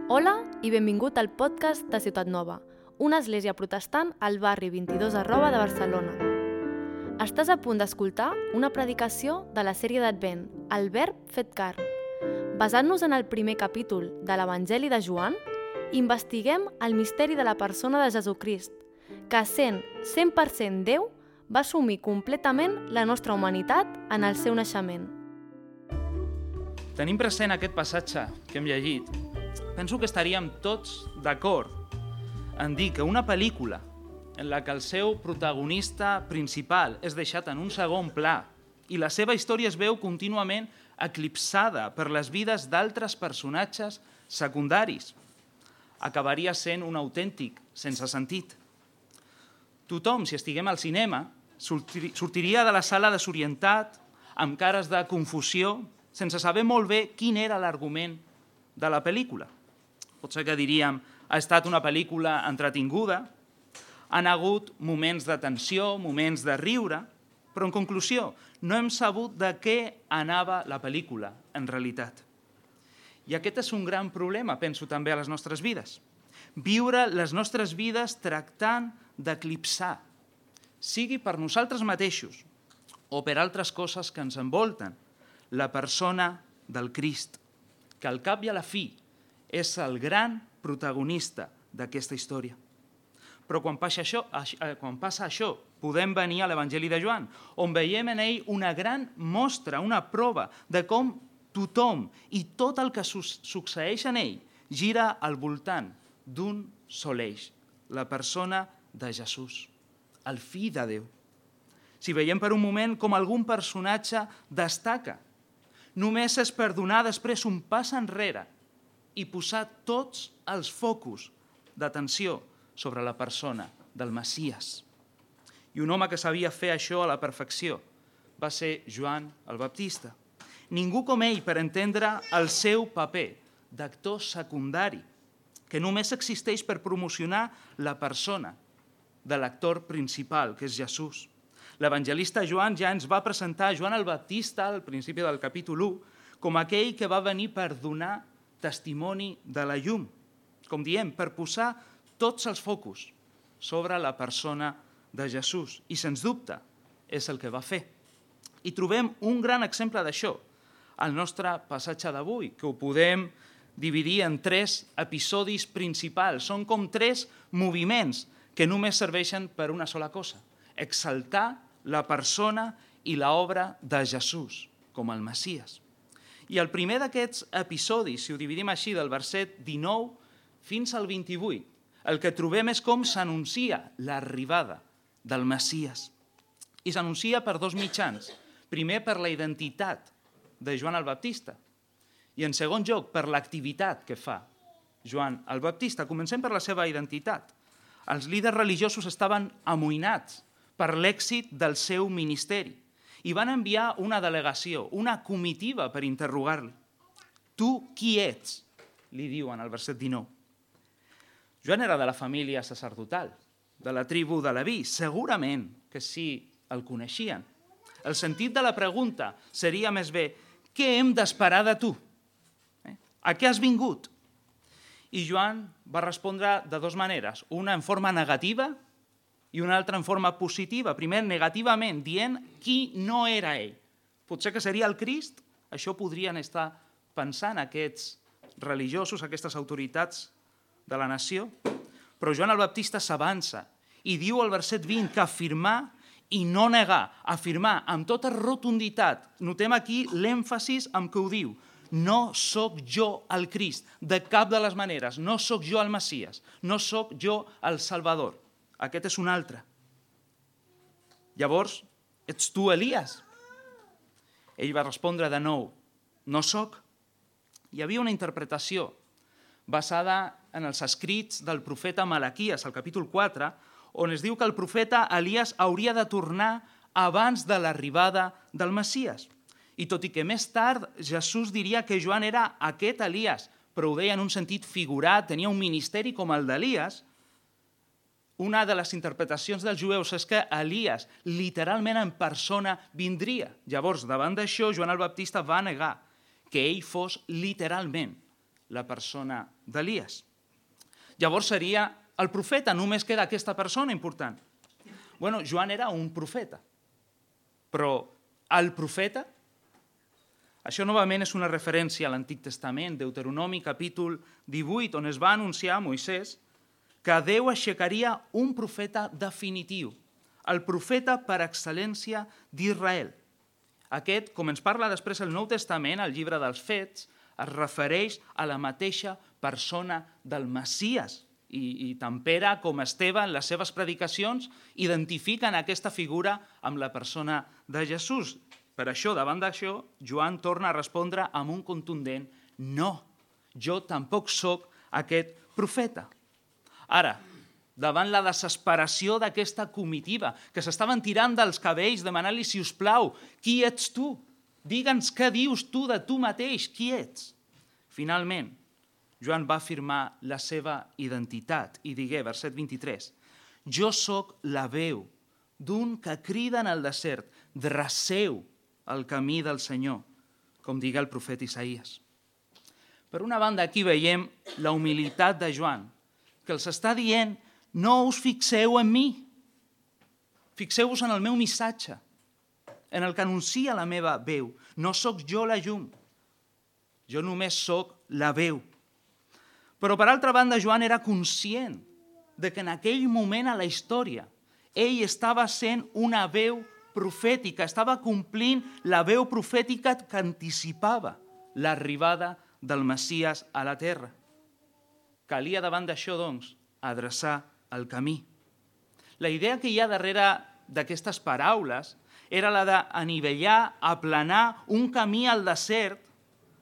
Hola i benvingut al podcast de Ciutat Nova, una església protestant al barri 22 Arroba de Barcelona. Estàs a punt d'escoltar una predicació de la sèrie d'Advent, El Verb fet carn. Basant-nos en el primer capítol de l'Evangeli de Joan, investiguem el misteri de la persona de Jesucrist, que sent 100% Déu, va assumir completament la nostra humanitat en el seu naixement. Tenim present aquest passatge que hem llegit. Penso que estaríem tots d'acord en dir que una pel·lícula en la que el seu protagonista principal és deixat en un segon pla i la seva història es veu contínuament eclipsada per les vides d'altres personatges secundaris, acabaria sent un autèntic sense sentit. Tothom, si estiguem al cinema, sortiria de la sala desorientat, amb cares de confusió, sense saber molt bé quin era l'argument de la pel·lícula. Potser que diríem, ha estat una pel·lícula entretinguda, han hagut moments de tensió, moments de riure, però en conclusió no hem sabut de què anava la pel·lícula en realitat. I aquest és un gran problema, penso també a les nostres vides. Viure les nostres vides tractant d'eclipsar, sigui per nosaltres mateixos o per altres coses que ens envolten, la persona del Crist, que al cap i a la fi és el gran protagonista d'aquesta història. Però quan passa això, podem venir a l'Evangeli de Joan, on veiem en ell una gran mostra, una prova de com tothom i tot el que succeeix en ell gira al voltant d'un sol eix, la persona de Jesús, el fill de Déu. Si veiem per un moment com algun personatge destaca, només és per donar després un pas enrere i posar tots els focus d'atenció sobre la persona del Messies. I un home que sabia fer això a la perfecció va ser Joan el Baptista. Ningú com ell per entendre el seu paper d'actor secundari, que només existeix per promocionar la persona de l'actor principal, que és Jesús. L'evangelista Joan ja ens va presentar Joan el Baptista al principi del capítol 1 com aquell que va venir per donar testimoni de la llum, com diem, per posar tots els focus sobre la persona de Jesús. I, sens dubte, és el que va fer. I trobem un gran exemple d'això al nostre passatge d'avui, que ho podem dividir en 3 episodis principals. Són com 3 moviments que només serveixen per una sola cosa: exaltar la persona i l'obra de Jesús com el Messies. I el primer d'aquests episodis, si ho dividim així, del verset 19 fins al 28, el que trobem és com s'anuncia l'arribada del Messies. I s'anuncia per 2 mitjans. Primer, per la identitat de Joan el Baptista. I en segon lloc, per l'activitat que fa Joan el Baptista. Comencem per la seva identitat. Els líders religiosos estaven amoïnats per l'èxit del seu ministeri i van enviar una delegació, una comitiva per interrogar-li. Tu qui ets? Li diuen al verset 19. Joan era de la família sacerdotal, de la tribu de Leví. Segurament que sí el coneixien. El sentit de la pregunta seria més bé: què hem d'esperar de tu? A què has vingut? I Joan va respondre de 2 maneres, una en forma negativa i una altra en forma positiva. Primer, negativament, dient qui no era ell. Potser que seria el Crist? Això podrien estar pensant aquests religiosos, aquestes autoritats de la nació. Però Joan el Baptista s'avança i diu al verset 20 que afirmar i no negar, afirmar amb tota rotunditat. Notem aquí l'èmfasis amb què ho diu. No sóc jo el Crist, de cap de les maneres. No sóc jo el Messies, no sóc jo el Salvador. Aquest és un altre. Llavors, ets tu Elies? Ell va respondre de nou: no sóc. Hi havia una interpretació basada en els escrits del profeta Malaquies, al capítol 4, on es diu que el profeta Elies hauria de tornar abans de l'arribada del Messies. I tot i que més tard Jesús diria que Joan era aquest Elies, però ho deia en un sentit figurat, tenia un ministeri com el d'Elies, una de les interpretacions dels jueus és que Elies literalment en persona vindria. Llavors, davant d'això, Joan el Baptista va negar que ell fos literalment la persona d'Elies. Llavors seria el profeta, només queda aquesta persona important. Bueno, Joan era un profeta, però el profeta, això novament és una referència a l'Antic Testament, Deuteronomi capítol 18, on es va anunciar a Moisès que Déu aixecaria un profeta definitiu, el profeta per excel·lència d'Israel. Aquest, com ens parla després el Nou Testament, al llibre dels Fets, es refereix a la mateixa persona del Messies. I tant Pere com Esteve en les seves predicacions identifiquen aquesta figura amb la persona de Jesús. Per això, davant d'això, Joan torna a respondre amb un contundent no, jo tampoc sóc aquest profeta. Ara, davant la desesperació d'aquesta comitiva, que s'estaven tirant dels cabells demanant-li, si us plau, qui ets tu? Digue'ns què dius tu de tu mateix, qui ets? Finalment, Joan va afirmar la seva identitat i digué, verset 23, jo sóc la veu d'un que crida en el desert, dreceu el camí del Senyor, com digué el profeta Isaías. Per una banda, aquí veiem la humilitat de Joan, que els està dient, no us fixeu en mi, fixeu-vos en el meu missatge, en el que anuncia la meva veu. No sóc jo la llum, jo només sóc la veu. Però, per altra banda, Joan era conscient de que en aquell moment a la història ell estava sent una veu profètica, estava complint la veu profètica que anticipava l'arribada del Messies a la terra. Calia davant d'això, doncs, adreçar el camí. La idea que hi ha darrere d'aquestes paraules era la d'anivellar, aplanar un camí al desert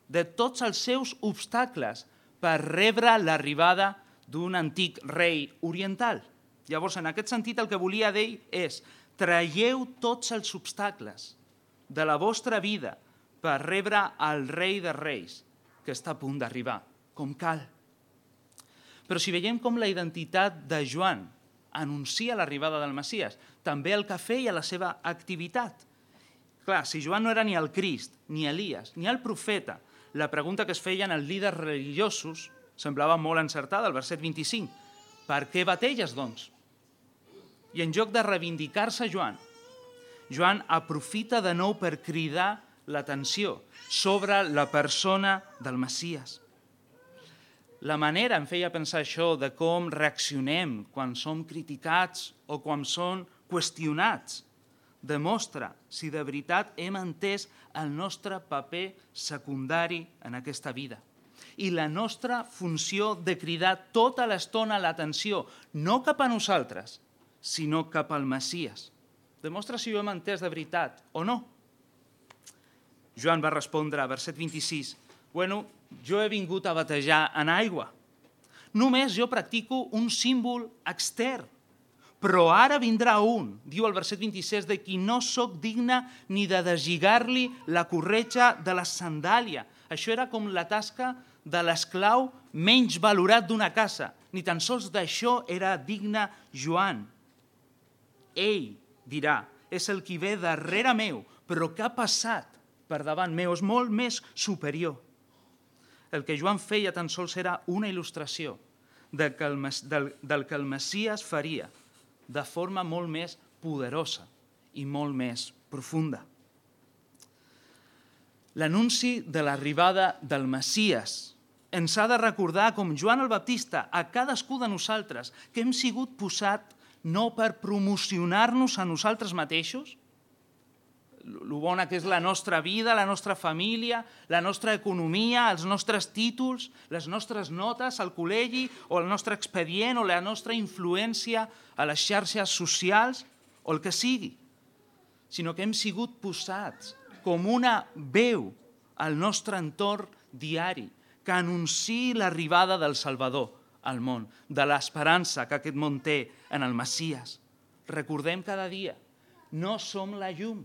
de tots els seus obstacles per rebre l'arribada d'un antic rei oriental. Llavors, en aquest sentit, el que volia dir és traieu tots els obstacles de la vostra vida per rebre el rei de reis que està a punt d'arribar, com cal. Però si veiem com la identitat de Joan anuncia l'arribada del Messies, també el que feia la seva activitat. Clar, si Joan no era ni el Crist, ni Elies, ni el profeta, la pregunta que es feien els líders religiosos semblava molt encertada, al verset 25. Per què bateges, doncs? I en lloc de reivindicar-se Joan aprofita de nou per cridar l'atenció sobre la persona del Messies. La manera, em feia pensar això, de com reaccionem quan som criticats o quan som qüestionats, demostra si de veritat hem entès el nostre paper secundari en aquesta vida i la nostra funció de cridar tota l'estona l'atenció, no cap a nosaltres, sinó cap al Messies. Demostra si ho hem entès de veritat o no. Joan va respondre, verset 26, bueno, jo he vingut a batejar en aigua. Només jo practico un símbol extern, però ara vindrà un, diu el verset 26, de qui no sóc digne ni de deslligar-li la corretja de la sandàlia. Això era com la tasca de l'esclau menys valorat d'una casa. Ni tan sols d'això era digne Joan. Ell dirà, és el qui ve darrere meu, però que ha passat per davant meu, és molt més superior. El que Joan feia tan sols era una il·lustració del que el Messies faria de forma molt més poderosa i molt més profunda. L'anunci de l'arribada del Messies ens ha de recordar, com Joan el Baptista, a cadascú de nosaltres, que hem sigut posat no per promocionar-nos a nosaltres mateixos, el bona que és la nostra vida, la nostra família, la nostra economia, els nostres títols, les nostres notes al col·legi o el nostre expedient o la nostra influència a les xarxes socials o el que sigui, sinó que hem sigut posats com una veu al nostre entorn diari que anunciï l'arribada del Salvador al món, de l'esperança que aquest món té en el Messies. Recordem cada dia, no som la llum,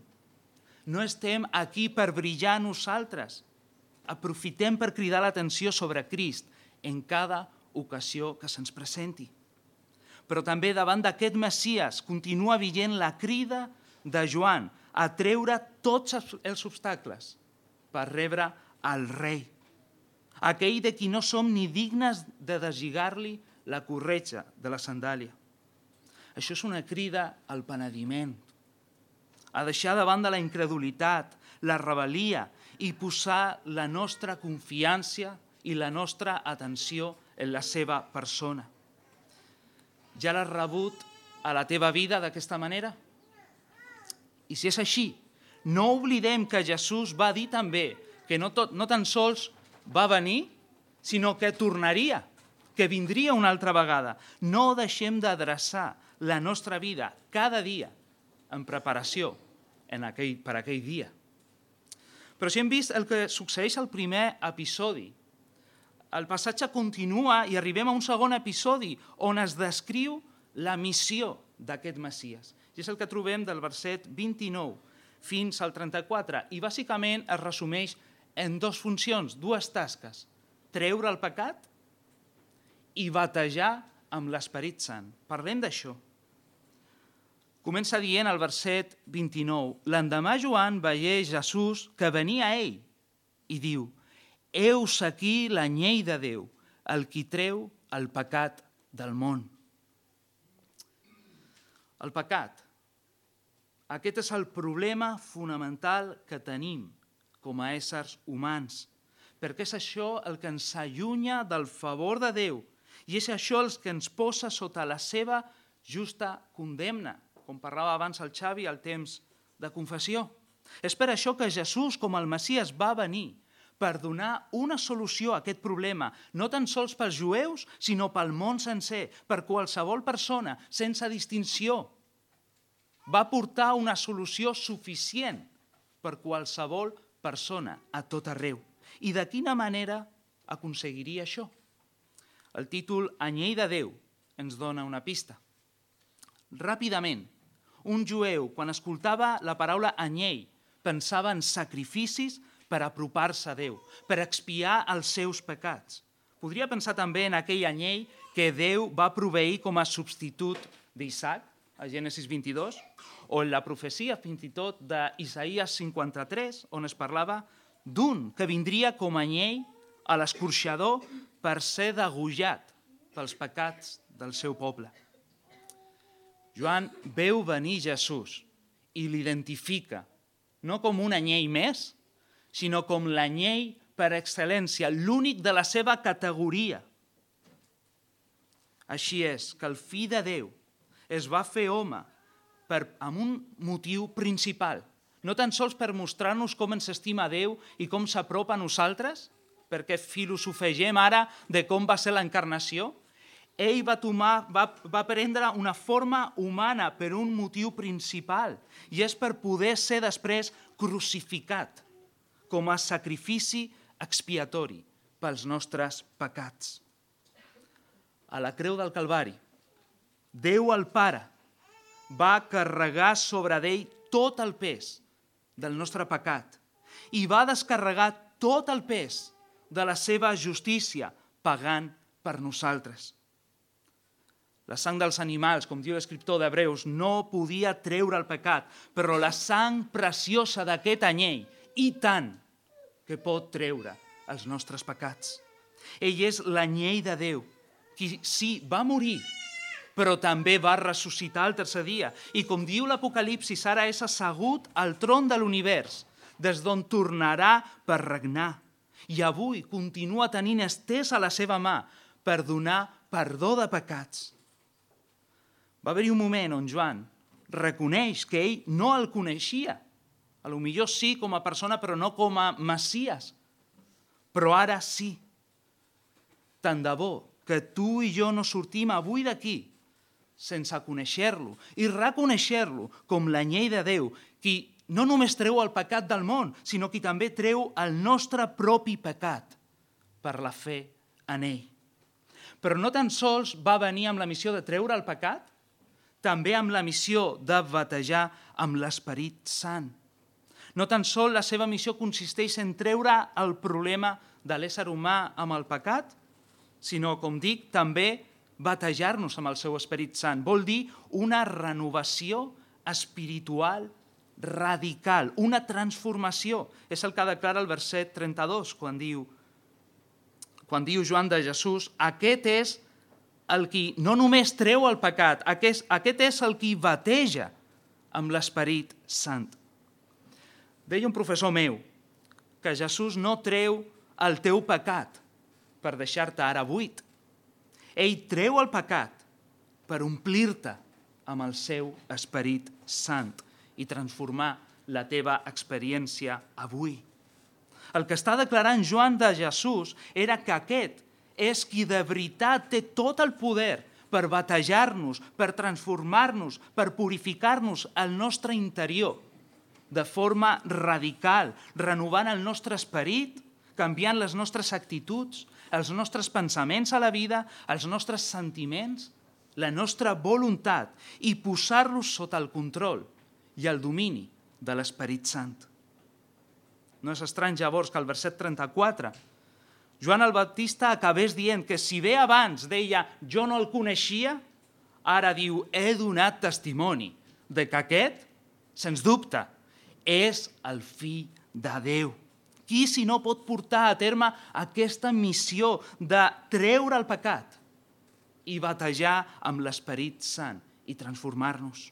no estem aquí per brillar nosaltres. Aprofitem per cridar l'atenció sobre Crist en cada ocasió que se'ns presenti. Però també davant d'aquest Messies continua vigent la crida de Joan a treure tots els obstacles per rebre el rei. aquell de qui no som ni dignes de deslligar-li la corretja de la sandàlia. Això és una crida al penediment, a deixar de banda la incredulitat, la rebel·lia i posar la nostra confiança i la nostra atenció en la seva persona. Ja l'has rebut a la teva vida d'aquesta manera? I si és així, no oblidem que Jesús va dir també que no tan sols va venir, sinó que tornaria, que vindria una altra vegada. No deixem d'adreçar la nostra vida cada dia en preparació per aquell dia. Però si hem vist el que succeeix al primer episodi, el passatge continua i arribem a un segon episodi on es descriu la missió d'aquest Messies. I és el que trobem del verset 29 fins al 34. I bàsicament es resumeix en dues funcions, dues tasques. Treure el pecat i batejar amb l'Esperit Sant. Parlem d'això. Comença dient al verset 29, l'endemà Joan veié Jesús que venia a ell i diu, heus aquí l'anyell de Déu, el qui treu el pecat del món. El pecat. Aquest és el problema fonamental que tenim com a éssers humans, perquè és això el que ens allunya del favor de Déu i és això el que ens posa sota la seva justa condemna, com parlava abans el Xavi al temps de confessió. És per això que Jesús, com el Messies, va venir per donar una solució a aquest problema, no tan sols pels jueus, sinó pel món sencer, per qualsevol persona, sense distinció. Va portar una solució suficient per qualsevol persona, a tot arreu. I de quina manera aconseguiria això? El títol Anyell de Déu ens dona una pista. Ràpidament, un jueu, quan escoltava la paraula anyell, pensava en sacrificis per apropar-se a Déu, per expiar els seus pecats. Podria pensar també en aquell anyell que Déu va proveir com a substitut d'Isaac, a Gènesis 22, o en la profecia fins i tot d'Isaïes 53, on es parlava d'un que vindria com a anyell a l'escorxador per ser degollat pels pecats del seu poble. Joan veu venir Jesús i l'identifica no com un anyell més, sinó com l'anyell per excel·lència, l'únic de la seva categoria. Així és que el Fill de Déu es va fer home amb un motiu principal, no tan sols per mostrar-nos com ens estima Déu i com s'apropa a nosaltres, perquè filosofegem ara de com va ser l'encarnació. Ell va prendre una forma humana per un motiu principal i és per poder ser després crucificat com a sacrifici expiatori pels nostres pecats. A la creu del Calvari, Déu el Pare va carregar sobre d'ell tot el pes del nostre pecat i va descarregar tot el pes de la seva justícia pagant per nosaltres. La sang dels animals, com diu l'escriptor d'Hebreus, no podia treure el pecat, però la sang preciosa d'aquest anyell, i tant, que pot treure els nostres pecats. Ell és l'anyell de Déu, qui sí, va morir, però també va ressuscitar el tercer dia. I com diu l'Apocalipsis, ara és assegut al tron de l'univers, des d'on tornarà per regnar. I avui continua tenint estesa la seva mà per donar perdó de pecats. Va haver-hi un moment on Joan reconeix que ell no el coneixia. Potser sí com a persona, però no com a Messies. Però ara sí. Tant de bo que tu i jo no sortim avui d'aquí sense conèixer-lo i reconèixer-lo com l'anyell de Déu, qui no només treu el pecat del món, sinó qui també treu el nostre propi pecat per la fe en ell. Però no tan sols va venir amb la missió de treure el pecat, també amb la missió de batejar amb l'Esperit Sant. No tan sols la seva missió consisteix en treure el problema de l'ésser humà amb el pecat, sinó, com dic, també batejar-nos amb el seu Esperit Sant. Vol dir una renovació espiritual radical, una transformació. És el que declara el verset 32, quan diu quan diu Joan de Jesús, aquest és el qui no només treu el pecat, aquest és el qui bateja amb l'Esperit Sant. Deia un professor meu que Jesús no treu el teu pecat per deixar-te ara buit. Ell treu el pecat per omplir-te amb el seu Esperit Sant i transformar la teva experiència avui. El que està declarant Joan de Jesús era que aquest és qui de veritat té tot el poder per batejar-nos, per transformar-nos, per purificar-nos al nostre interior de forma radical, renovant el nostre esperit, canviant les nostres actituds, els nostres pensaments a la vida, els nostres sentiments, la nostra voluntat i posar-los sota el control i el domini de l'Esperit Sant. No és estrany llavors que al verset 34 Joan el Baptista acabés dient que si bé abans deia jo no el coneixia, ara diu he donat testimoni de que aquest, sens dubte, és el Fill de Déu. Qui si no pot portar a terme aquesta missió de treure el pecat i batejar amb l'Esperit Sant i transformar-nos?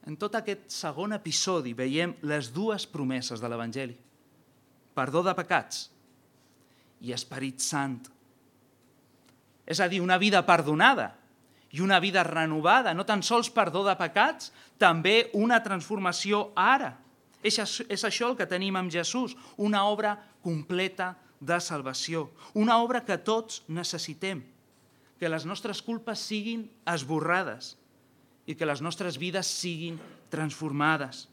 En tot aquest segon episodi veiem les dues promeses de l'Evangeli. Perdó de pecats i Esperit Sant. És a dir, una vida perdonada i una vida renovada, no tan sols perdó de pecats, també una transformació ara. És això el que tenim amb Jesús, una obra completa de salvació, una obra que tots necessitem, que les nostres culpes siguin esborrades i que les nostres vides siguin transformades.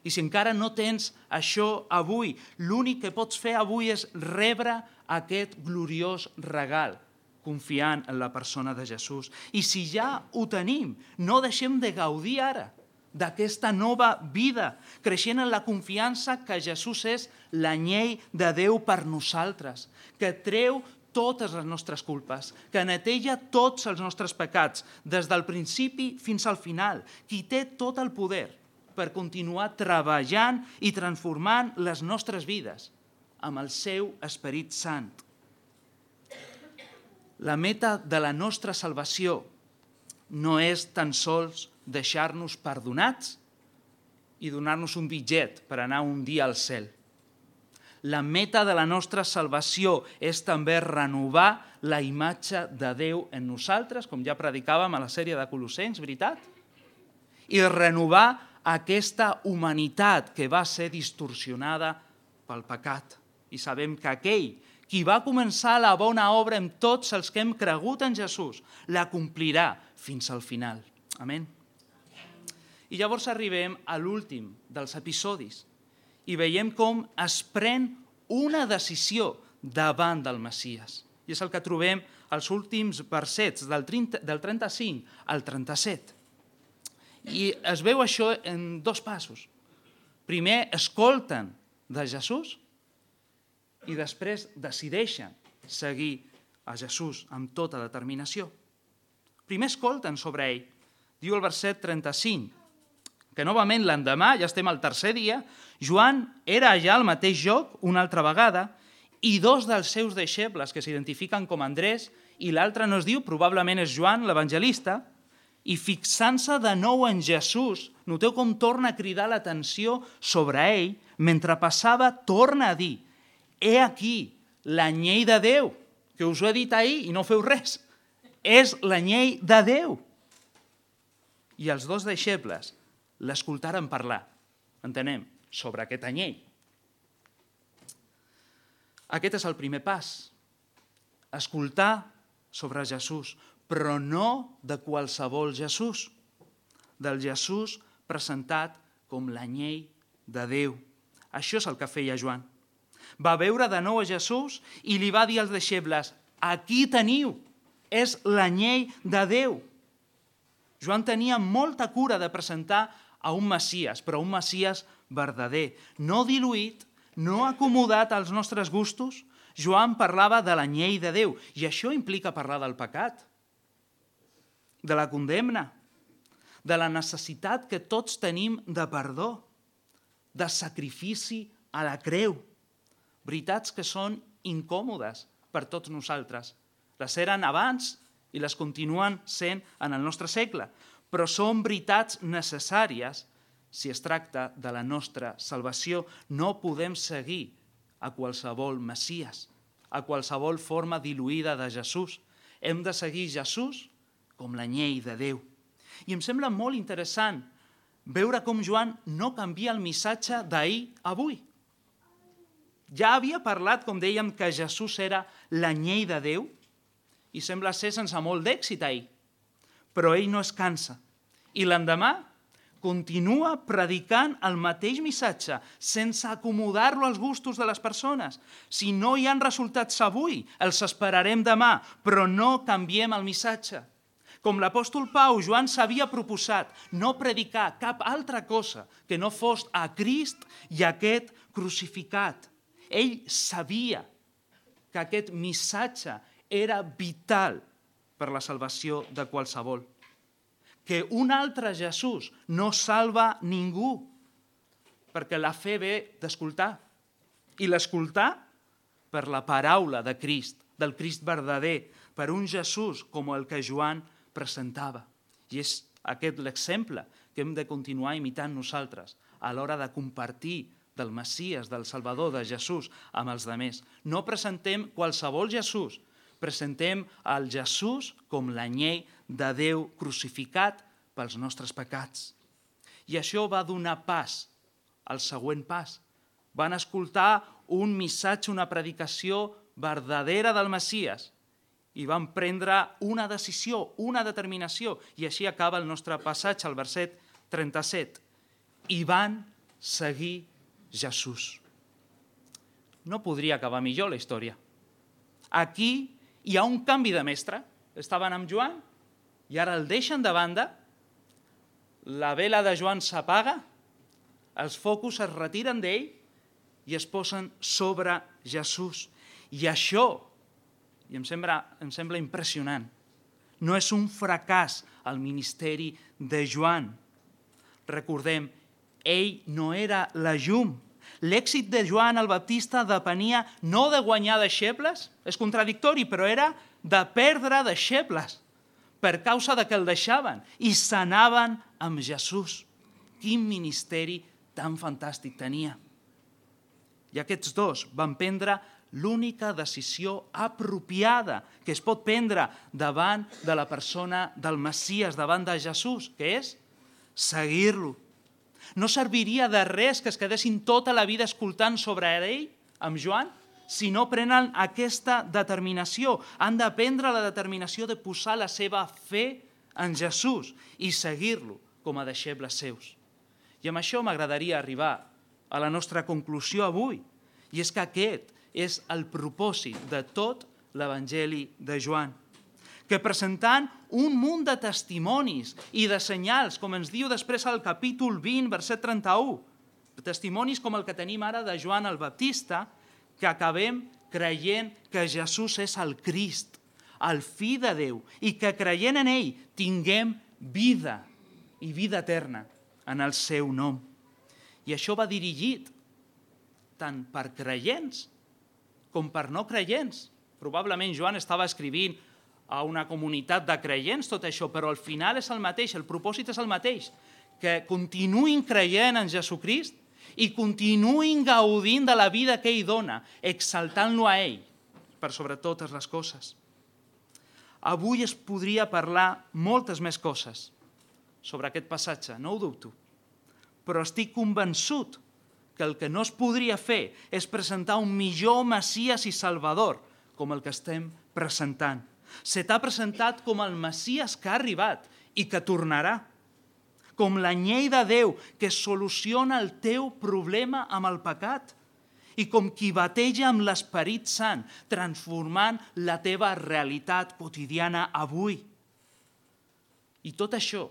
I si encara no tens això avui, l'únic que pots fer avui és rebre aquest gloriós regal, confiant en la persona de Jesús. I si ja ho tenim, no deixem de gaudir ara d'aquesta nova vida, creixent en la confiança que Jesús és l'anyell de Déu per nosaltres, que treu totes les nostres culpes, que neteja tots els nostres pecats, des del principi fins al final, qui té tot el poder per continuar treballant i transformant les nostres vides amb el seu Esperit Sant. La meta de la nostra salvació no és tan sols deixar-nos perdonats i donar-nos un bitllet per anar un dia al cel. La meta de la nostra salvació és també renovar la imatge de Déu en nosaltres, com ja predicàvem a la sèrie de Colossens, veritat? I renovar aquesta humanitat que va ser distorsionada pel pecat. I sabem que aquell qui va començar la bona obra en tots els que hem cregut en Jesús, la complirà fins al final. Amén. I llavors arribem a l'últim dels episodis i veiem com es pren una decisió davant del Messies. I és el que trobem als últims versets, del 35 al 37. I es veu això en dos passos. Primer, escolten de Jesús i després decideixen seguir a Jesús amb tota determinació. Primer escolten sobre ell. Diu el verset 35, que novament l'endemà, ja estem al tercer dia, Joan era allà al mateix lloc una altra vegada i dos dels seus deixebles, que s'identifiquen com Andrés, i l'altre no es diu, probablement és Joan, l'evangelista, i fixant-se de nou en Jesús, noteu com torna a cridar l'atenció sobre ell, mentre passava torna a dir, he aquí l'anyell de Déu, que us ho he dit ahir i no feu res, és l'anyell de Déu. I els dos deixebles l'escoltaren parlar, entenem, sobre aquest anyell. Aquest és el primer pas, escoltar sobre Jesús, però no de qualsevol Jesús, del Jesús presentat com l'anyell de Déu. Això és el que feia Joan. Va veure de nou a Jesús i li va dir als deixebles, aquí teniu, és l'anyell de Déu. Joan tenia molta cura de presentar a un Messies, però un Messies verdader, no diluït, no acomodat als nostres gustos. Joan parlava de l'anyell de Déu, i això implica parlar del pecat, de la condemna, de la necessitat que tots tenim de perdó, de sacrifici a la creu. Veritats que són incòmodes per tots nosaltres. Les eren abans i les continuen sent en el nostre segle, però són veritats necessàries si es tracta de la nostra salvació. No podem seguir a qualsevol Messies, a qualsevol forma diluïda de Jesús. Hem de seguir Jesús com la llei de Déu. I em sembla molt interessant veure com Joan no canvia el missatge d'ahir a avui. Ja havia parlat, com dèiem, que Jesús era la llei de Déu i sembla ser sense molt d'èxit ahir. Però ell no es cansa. I l'endemà continua predicant el mateix missatge sense acomodar-lo als gustos de les persones. Si no hi ha resultats avui, els esperarem demà, però no canviem el missatge. Com l'apòstol Pau, Joan s'havia proposat no predicar cap altra cosa que no fos a Crist i aquest crucificat. Ell sabia que aquest missatge era vital per la salvació de qualsevol. Que un altre Jesús no salva ningú, perquè la fe ve d'escoltar. I l'escoltar per la paraula de Crist, del Crist verdader, per un Jesús com el que Joan presentava. I és aquest l'exemple que hem de continuar imitant nosaltres a l'hora de compartir del Messies, del Salvador, de Jesús, amb els altres. No presentem qualsevol Jesús, presentem el Jesús com la llei de Déu crucificat pels nostres pecats. I això va donar pas al següent pas. Van escoltar un missatge, una predicació verdadera del Messies i van prendre una decisió, una determinació. I així acaba el nostre passatge, al verset 37. I van seguir Jesús. No podria acabar millor la història. Aquí hi ha un canvi de mestre. Estaven amb Joan i ara el deixen de banda, la vela de Joan s'apaga, els focus es retiren d'ell i es posen sobre Jesús. I això, i em sembla impressionant, no és un fracàs al ministeri de Joan. Recordem, ell no era la llum. L'èxit de Joan el Baptista depenia no de guanyar deixebles, és contradictori, però era de perdre deixebles per causa de que el deixaven i s'anaven amb Jesús. Quin ministeri tan fantàstic tenia. I aquests dos van prendre l'única decisió apropiada que es pot prendre davant de la persona del Messies, davant de Jesús, que és seguir-lo. No serviria de res que es quedessin tota la vida escoltant sobre ell, amb Joan, si no prenen aquesta determinació. Han de prendre la determinació de posar la seva fe en Jesús i seguir-lo com a deixebles seus. I amb això m'agradaria arribar a la nostra conclusió avui, i és que aquest és el propòsit de tot l'Evangeli de Joan, que presentant un munt de testimonis i de senyals, com ens diu després al capítol 20, verset 31, testimonis com el que tenim ara de Joan el Baptista, que acabem creient que Jesús és el Crist, el Fill de Déu, i que creient en ell tinguem vida i vida eterna en el seu nom. I això va dirigit tant per creients com per no creients. Probablement Joan estava escrivint a una comunitat de creients tot això, però al final és el mateix, el propòsit és el mateix, que continuïn creient en Jesucrist i continuïn gaudint de la vida que ell dona, exaltant-lo a ell per sobre totes les coses. Avui es podria parlar moltes més coses sobre aquest passatge, no ho dubto, però estic convençut que el que no es podria fer és presentar un millor Messies i Salvador com el que estem presentant. Se t'ha presentat com el Messies que ha arribat i que tornarà, com la llei de Déu que soluciona el teu problema amb el pecat i com qui bateja amb l'Esperit Sant, transformant la teva realitat quotidiana avui. I tot això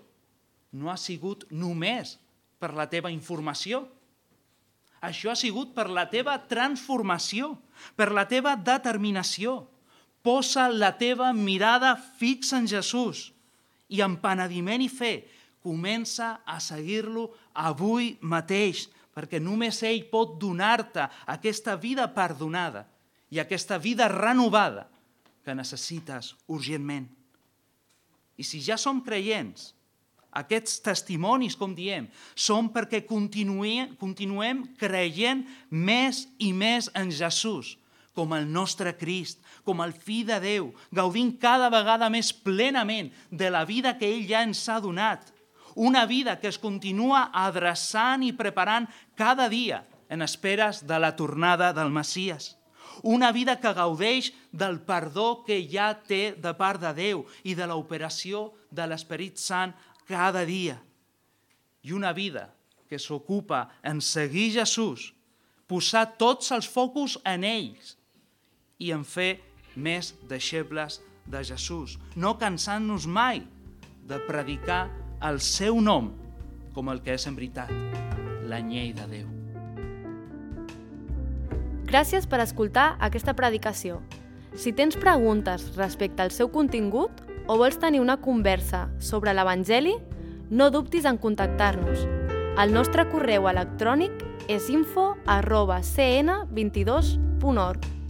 no ha sigut només per la teva informació. Això ha sigut per la teva transformació, per la teva determinació. Posa la teva mirada fixa en Jesús i amb penediment i fe comença a seguir-lo avui mateix, perquè només ell pot donar-te aquesta vida perdonada i aquesta vida renovada que necessites urgentment. I si ja som creients, aquests testimonis, com diem, són perquè continuem creient més i més en Jesús, com el nostre Crist, com el Fill de Déu, gaudint cada vegada més plenament de la vida que ell ja ens ha donat. Una vida que es continua adreçant i preparant cada dia en esperes de la tornada del Messies. Una vida que gaudeix del perdó que ja té de part de Déu i de l'operació de l'Esperit Sant cada dia. I una vida que s'ocupa en seguir Jesús, posar tots els focus en ells i en fer més deixebles de Jesús, no cansant-nos mai de predicar el seu nom com el que és en veritat, l'anyell de Déu. Gràcies per escoltar aquesta predicació. Si tens preguntes respecte al seu contingut o vols tenir una conversa sobre l'Evangeli, no dubtis en contactar-nos. El nostre correu electrònic és info@cn22.org.